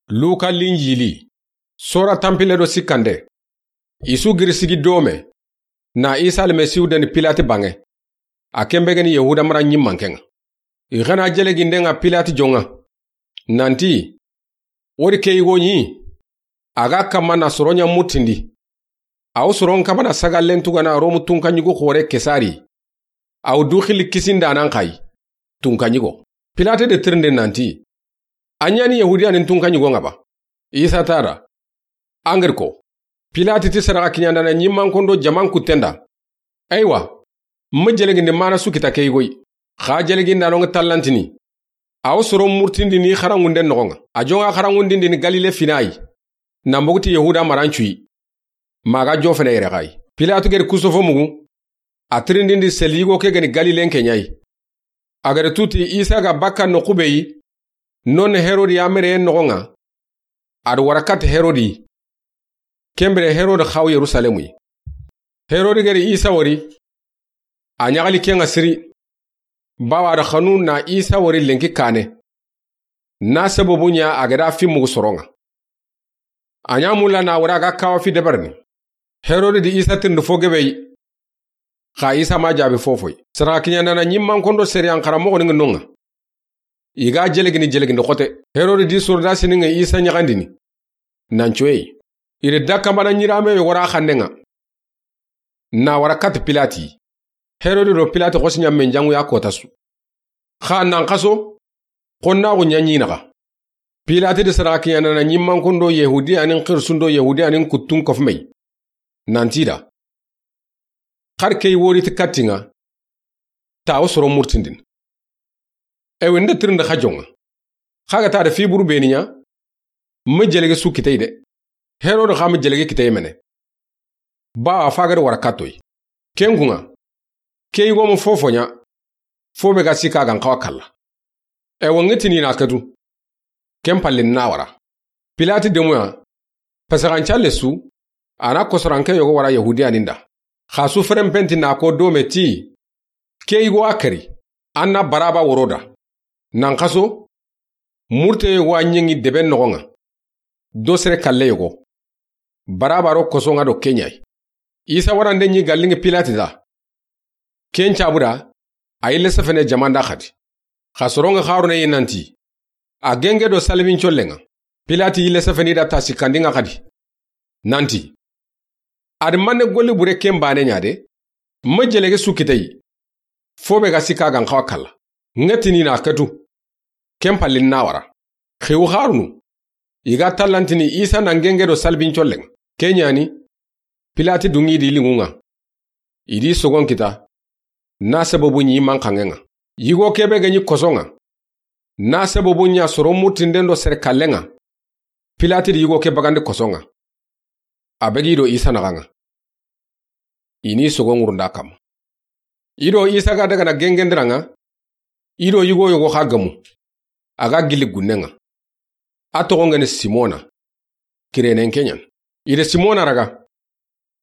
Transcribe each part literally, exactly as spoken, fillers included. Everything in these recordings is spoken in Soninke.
Luka Linjili, sora tanpille do sikkande. I su giri sigi dome, na Isa Almasihu deni Pilati banŋe. A ken be ga ni Yahuda mara ɲimmanken ŋa. I xa na jeleginden ŋa Pilati jon ŋa, nanti, wori ke yigo ɲi, a ga kamma na soro ɲa murtindi. A wo soron kamana sagallen tugana Romu tunkaɲigo xoore Kesari. A wo du xili kisindanan xa yi, tunkaɲigo. Pilati de tirindi nanti, a ɲa ni Yahudiyanin tunkaɲigo ŋa ba? Isa ti a da, an ga ri ko, Pilati ti sadaxa kiɲandana ɲimmankondo jaman kuttenda. Eywa, n ma jelegindi mana su kita ke yigo yi, xa jelegindano ŋa tallantini. A wo soron murtindini xaranŋunden noxon ŋa. A jon ŋa xaranŋundindini Galile fina yi, nan bogu ti Yahuda marancu yi. Ma ga jofene yere xa yi. Pilati ga ri kusofo mugu, a tirindindi seli yigo ke ga ni Galilen ke ɲa yi. A ga ri tu ti Isa ga bakka noqu be yi, non Herodi ya mereyen noxon ŋa, a da wara kati Herodi. Ken bire Herodi xa wo Yerusalemu yi. Herodi ga ri Isa wori, a ɲaxali ken ŋa siri. Bawa a da xanu na Isa wori lenki kane. Na sababu ɲa a ga da fi mugu soron ŋa. A ɲa mulla na wara ga kawa fi deberini. Herodi di Isa tirindi fo gebe yi. Xa Isa ma jaabi fofo yi. Sadaxa kiɲandana ɲimmankondo seriyan xaranmoxoni ŋa non ŋa. I ga jelegini jelegindi xote. Herodi di sorodasini ŋa Isa ɲaxandini, nan coye yi. I da dakamana ɲirame yogo ra xannen ŋa, na wara kati Pilati. Herodi do Pilati xosi ɲa men janŋu ya kota su. Xa nan xaso, xonnaxu ɲa ɲi naxa. Pilati di sadaxa kiɲandana ɲimmankondo Yahudiyanin xirisundo Yahudiyanin kuttun kofume yi, nanti i da, xari ke yi wori ti katti ŋa, ta wo soron murtindini. Ewe n da tirindi xa jon ŋa. Xa ga ta da fi buru beni ɲa, n ma jelege su kite yi de. Herodi xa ma jelege kite yi mene. Bawa fa ga da wara katto yi. Ken kun ŋa, ke yigo ma fofo ɲa, fo be ga sikka a ga n xawa kalla. Ewa n ga tini na katu. Ken palle na wara. Pilati demuya, pasaxancalle su, a na kosoranke yogo wara Yahudiyanin da. Xa su ferenpenti na ko dome ti, ke yigo a kari, an na Baraba woro da. Nan xaso, murte yogo a ɲeŋi deben noxon ŋa. Do sere kalle yogo. Baraba ro koson ŋa do ke ɲa yi. Isa warande ɲi galliŋi Pilati da. Ken cabu da, a yille sefene jaman da xadi. Xa soron ŋa xarune yi nanti, a genge do salibincollen ŋa. Pilati yille sefeni da ta sikkandi ŋa xadi, nanti, a da manne golli bure ken bane ɲa de, n ma jelege su kite yi, fo be ga sikka a ga n xawa kalla. N ga tini na katu. Ken palle na wara. Xewu xarunu, i ga tallantini Isa nan genge do salibincollen ŋa. Ke ɲa ni, Pilati dunŋi di liŋun ŋa. I di sogon kita, na sababu ɲi manxanŋen ŋa. Yigo ke be ga ɲi koson ŋa, na sababu ɲa soron murtinden do sere kallen ŋa. Pilati di yigo ke bagandi koson ŋa. A begi i do Isa naxan ŋa. I ni sogon ŋurunda kamma. I do Isa ga daga na gengendiran ŋa, i do yigo yogo xa gemu. A ga gilli gunnen ŋa. A toxon ga ni Simona. Kirenen ke ɲa ni. I da Simona raga,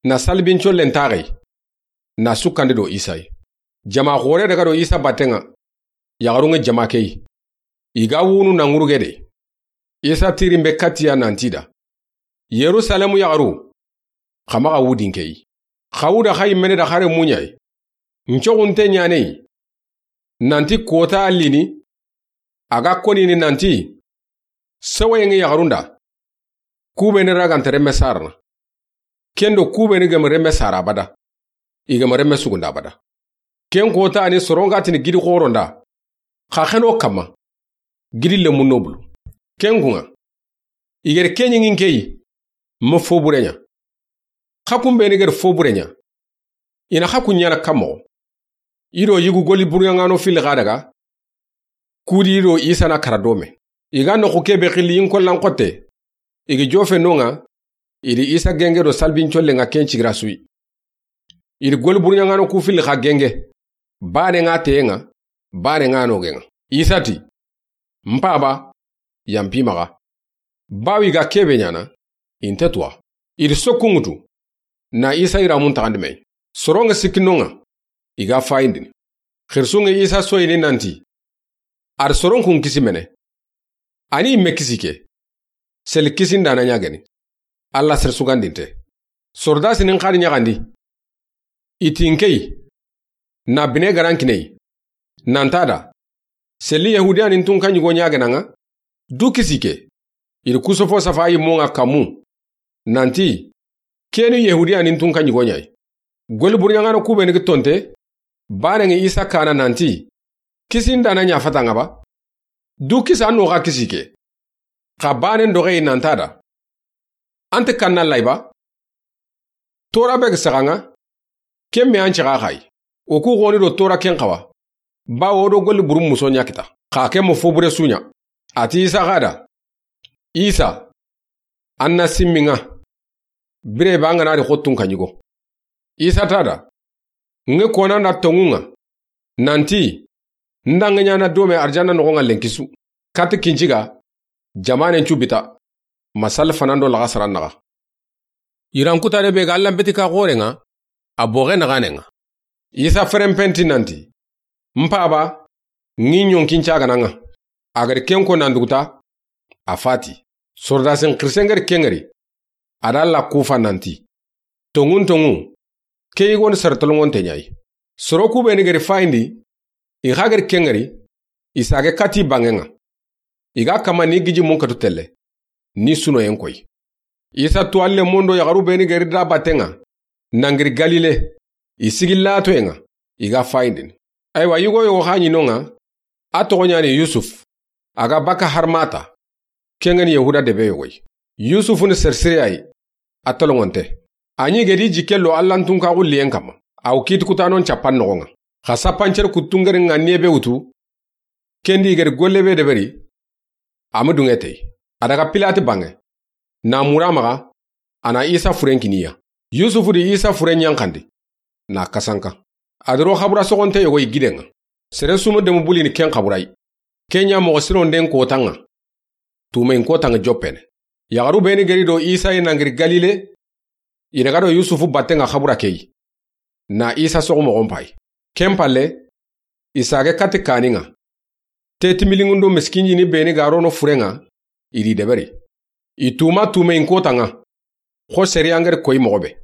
na salibincollen taxe yi, na sukkandi do Isa yi. Jama xoore daga do Isa batten ŋa, yaxarun ŋa jama ke yi. I ga wunu na ŋuruge de. Isa tirin be katti ya nanti i da, Yerusalemu yaxaru, xa maxa wudin ke yi. Xa wuda xa yi mene da xare muɲa yi. N coxunte ɲane yi. Nanti kota allini, a ga konini nanti, sewayen ŋa yaxarun da. Kubeni raganta remme sarana. Kendo kubeni gama remme sara abada. I gama remme sugunda abada. Ken kota ni soron ga tini gidi xoron da. Xa xeno kamma. Gidi lemun no bulu. Ken kun ŋa, i ga da ke ɲiŋin ke yi, ma fo bure ɲa. Xa kun beni ga da fo bure ɲa, i na xa kun ɲaana kan moxo. I do yigu golli buruɲaŋano filli xa daga, ku di i do Isa na kara dome. I ga noxu ke be xilli yin kollan xotte, i ga jofe no ŋa, i di Isa genge do salibincollen ŋa ken cigira su yi. I di golli buruɲaŋano ku filli xa genge, bane ŋa teyen ŋa, bane ŋa nogen ŋa. Isa ti, N Paba, yanpi maxa. Bawi ga ke be ɲaana, i nte tuwa. I di sokku ŋutu, na Isa yiramun taxandi me yi. Soron ŋa sikki no ŋa, i ga fayindini. Xirisun ŋa Isa soyini nanti, a da soron kun kisi mene. A ni i me kisi ke. Seli kisindaana ɲa geni. Alla sere sugandinte. Sordasini n xa di ɲaxandi. I ti n ke yi, na bine garankine yi, nan ti a da, seli Yahudiyanintunka ɲigo ɲa gena ŋa, du kisi ke. I di kusofo safa yimmo ŋa kanmu, nan ti, keni Yahudiyanintunka ɲigo ɲa yi. Goli burɲaŋano ku beni gi tonte, baane ŋi Isa kana nan ti, kisindaana ɲa fata ŋa ba? Du kisi an no xa kisi ke. Xa baanen doxe yi nan ti a da, an ti kanna lay ba? Tora be gi saxa ŋa, ken me an ci xa xa yi. O ku xoni do tora ken xawa. Bawo do goli buru muso ɲa kita. Xa ke mo fo bure su ɲa. A ti Isa xa da, Isa, an na simmi ŋa. Bire ba ŋa na di xottunka ɲigo. Isa ti a da, n ŋe kona na tonŋu ŋa, nan ti, n da ŋe ɲaana dome arjanna noxo ŋa lenki su, kati kinciga, jamanen cu bita, ma sali fanando laxa sara naxa. Yirankutane be ga Alla n beti ka xoore ŋa, a boxe naxane ŋa. Isa ferenpenti nan ti, n paba, n ŋi ɲonkin cagana ŋa. A ga di ken ko nan duguta, a fati. Sordasin xirisen ga di ken ŋari, a da Alla kufa nan ti, tonŋun tonŋu, ke yigoni sere tolongonte ɲa yi. Soro ku beni ga di fayindi, i xa ga di ken ŋari, i sage kati banŋe ŋa. I ga kama ni giji munkatu telle, ni sunoyen koyi. Isa tu alle mondo yaxaru beni ga di da batte ŋa, nan ga di Galile, i sigi latoye ŋa, i ga fayindini. Aywa, yigo yogo xa ɲi no ŋa, a toxo ɲani Yusuf, a ga baka Harmata, ken ŋa ni Yahuda debe yogo yi. Yusufu ni sere sire ya yi, a tolongonte. A ɲi ga di jikke lo Allantunka xulliyen kanma, a wo kiti kutanon cappan noxo ŋa. Xa sappancere kuttu n ga di ŋa nebe wutu, ken di ga di golle be deberi, a ma dunŋe te yi. A daga Pilati banŋe, na mura maxa, a na Isa furen kini ya. Yusufu di Isa furen ɲanxandi, na kasanka. A di ro xabura soxonte yogo yi giden ŋa. Sere su ma demu bulini ken xabura yi. Ken ɲa moxo sironden kotan ŋa, tumeyin kotan ŋa joppene. Yaxaru beni ga di do Isa yi nan ga di Galile, i daga do Yusufu batten ŋa xabura ke yi, na Isa soxu moxon payi. Ken palle, i sage kati kani ŋa. Te timilinŋun do miskinjini beni ga rono furen ŋa, i di deberi. I tuma tumeyin kotan ŋa, xo sere ya n ga di koyi moxo be.